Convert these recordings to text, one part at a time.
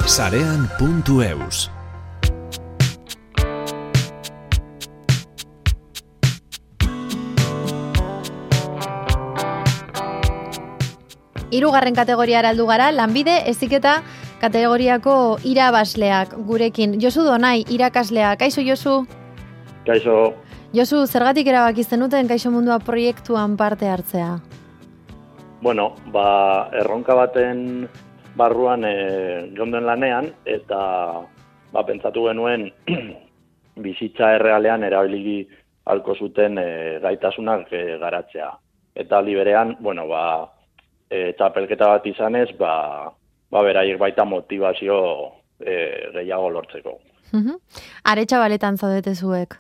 Sarean.eus. Hirugarren kategoriara heldu gara, lanbide heziketa kategoriako irabazleak gurekin. Josu Donai, irakaslea. Kaixo, Josu? Kaixo. Josu, zergatik erabaki zenuten Kaixo Mundua proiektuan parte hartzea? Bueno, erronka baten barruan jonden lanean, eta pentsatu genuen bizitza errealean erabili ahalko zuten gaitasunak garatzea. Eta liberean, txapelketa bat izanez, beraiek baita motivazio gehiago lortzeko. Aretxabaletan zaudete zuek?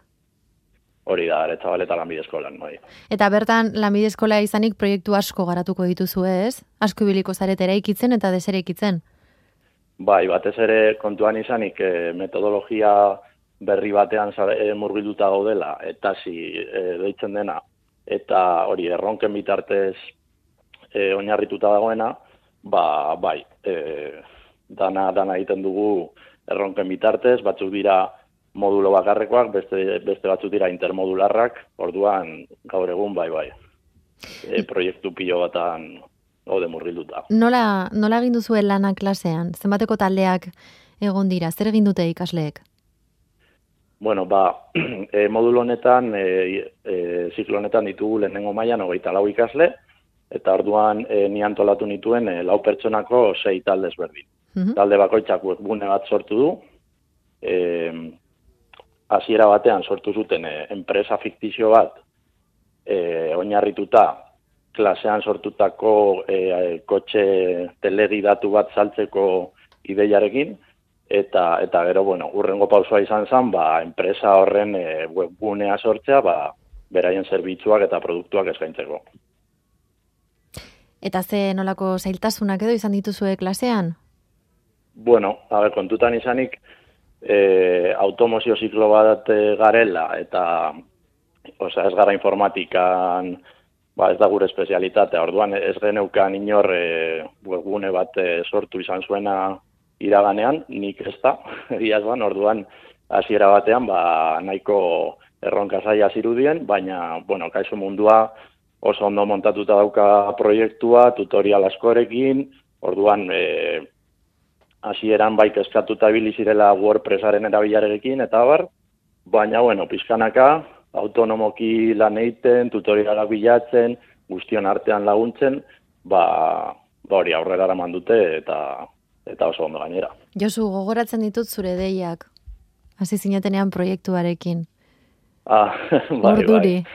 Hori da, Aretxabaleta lanbide eskolan, bai. Eta bertan, lanbide eskola izanik proiektu asko garatuko dituzu ez? Asko ibiliko zarete eraikitzen eta deseraikitzen? Bai, batez ere kontuan izanik metodologia berri batean murgilduta gaudela, eta deitzen dena, eta hori erronken bitartez oinarrituta dagoena, dana egiten dugu erronken bitartez, batzuk dira modulo bakarrekoak, beste batzuk dira intermodularrak, orduan gaur egun proiektu pilo batan gaude murgilduta. Nola egin duzuen lana klasean? Zenbateko taldeak egon dira? Zer egin dute ikasleek? Bueno, modulo honetan, ziklo honetan ditugu lehenengo mailan 24 ikasle, eta orduan ni antolatu nituen 4 pertsonako 6 talde ezberdin. Talde bakoitzak webgune bat sortu du, hasiera batean sortu zuten enpresa fiktizio bat oinarrituta klasean sortutako kotxe telegidatu bat saltzeko ideiarekin, eta gero, hurrengo pausua izan zen, enpresa horren webgunea sortzea, beraien zerbitzuak eta produktuak eskaintzeko. Eta ze nolako zailtasunak edo izan dituzue klasean? Kontutan izanik, automozio ziklo bat garela, eta ez gara informatikan, ez da gure espezialitatea. Orduan ez geneukan inor webgune bat sortu izan zuena iraganean, nik ez da, orduan hasiera batean nahiko erronka zaila zirudien, baina, Kaixo Mundua oso ondo montatuta dauka proiektua, tutorial askorekin, orduan hasieran kezkatuta ibili zirela WordPressaren erabilarekin, eta baina, pixkanaka, autonomoki lan egiten, tutorialak bilatzen, guztion artean laguntzen, hori aurrera eraman dute eta oso ondo gainera. Josu, gogoratzen ditut zure deiak, hasi zinetenean proiektuarekin. Orduri.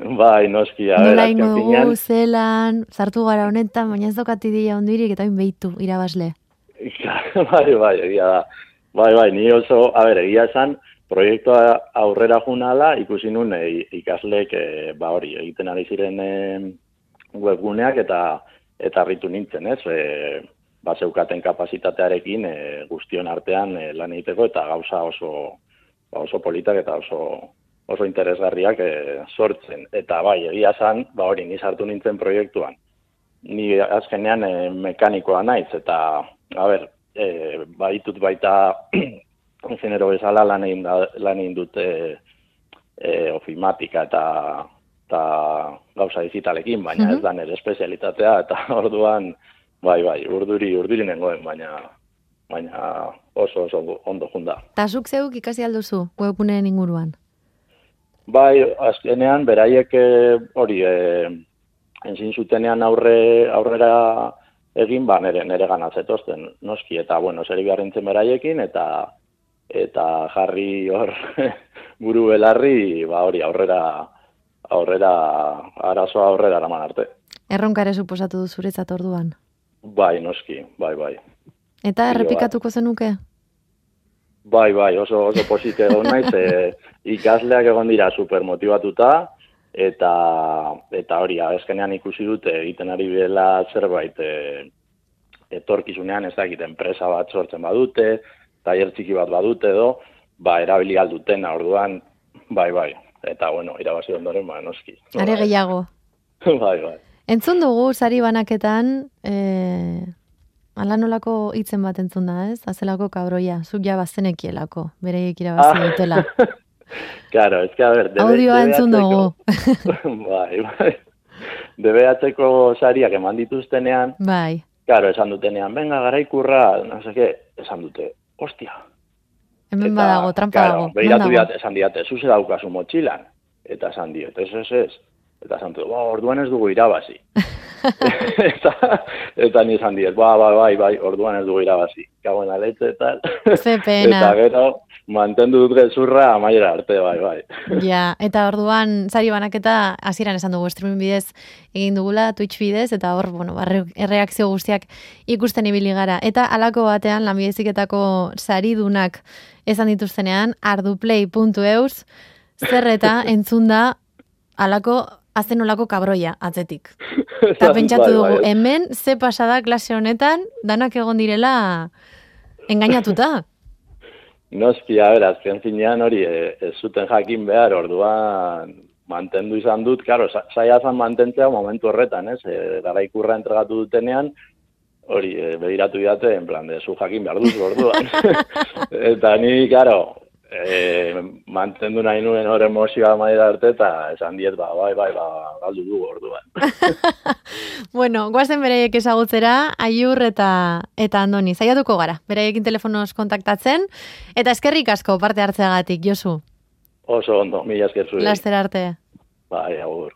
Bai, noski. Nola ingo dugu, zelan, sartu gara honetan, baina ez daukat ideia ondirik eta behitu irabazle. Bai, egia da. Bai, ni oso, egia esan, proiektua aurrera junala, ikusi nun ikasleek egiten ari ziren webguneak eta harritu nintzen, ez? Zeukaten kapazitatearekin guztion artean lan egiteko eta gauza oso politak eta oso interesgarriak sortzen. Eta egia esan, ni sartu nintzen proiektuan. Ni azkenean mekanikoa naiz, eta, ditut baita genero bezala lan egin dute ofimatika eta gauza digitalekin, baina ez da nire espezialitatea, eta orduan, urduri nengoen, baina oso ondo junda. Ta zuk zeuk ikasi alduzu webguneen inguruan? Azkenean, beraiek enzin zutenean aurrera egin, nire ganatzetozten, noski, eta, zeri beharrentzen beraiekin, eta jarri hor buru belarri, aurrera, arazoa aurrera eraman arte. Erronkare suposatu du zuretzat orduan? Bai, noski, bai. Eta errepikatuko zenuke? Bai, oso posite egon naiz, ikasleak egon dira supermotibatuta, eta hori, azkenean ikusi dute egiten ari dela zerbait etorkizunean, ez dakit, enpresa bat sortzen badute, tailer txiki bat badute edo, erabili aldutena, orduan, bai, eta irabazi ondoren, noski. Are gehiago. Bai. Entzun dugu, sari banaketan, ala nolako hitzen bat entzun da, ez? Azelako kabroia, zuk ja bazenekielako, bereiek irabazi dutela. Claro, es que a ver, audioa entzun dugu. Bai. DBH-ko sariak eman dituztenean, Bai. claro, esan dutenean, venga, Garaikurra, no sé qué, esan dute, hostia. Hemen badago, trampa dago. Begiratu diat, esan diate, zuze daukazu motxilan. Eta esan diot, ez. Eta esan dut, orduan ez dugu irabazi. eta ni esan diet, bai, orduan ez dugu irabazi. Kagoen aletxe eta... Ze pena. Eta gero, mantendu dut gezurra amaiera arte, bai. Ja, eta orduan sari banaketa hasieran esan dugu streaming bidez egin dugula, Twitch bidez, eta hor, bueno, erreakzio guztiak ikusten ibili gara. Eta halako batean, Lanbide Heziketako saridunak esan dituztenean, arduplay.eus, zer eta entzun da halako azenolako kabroia atzetik. Eta pentsatu dugu, hemen ze pasada klase honetan, danak egon direla engainatuta. Noski, azken finean hori ez zuten jakin behar, orduan mantendu izan dut, karo, saia zan mantentzea momentu horretan, ez? Garaikurra entregatu dutenean, hori begiratu didate, en plan, zu jakin behar duzu orduan. Eta ni, karo, mantendu nahi nuen hor emozioa maila arte, eta esan diet, bai, galdu du orduan. Bueno, guazen bereiek ezagutzera, Aiur eta Andoni, zaiatuko gara, bereiekin telefonoz kontaktatzen, eta eskerrik asko parte hartzeagatik, Josu. Oso ondo, mila esker zure. Laster arte. Bai, agur.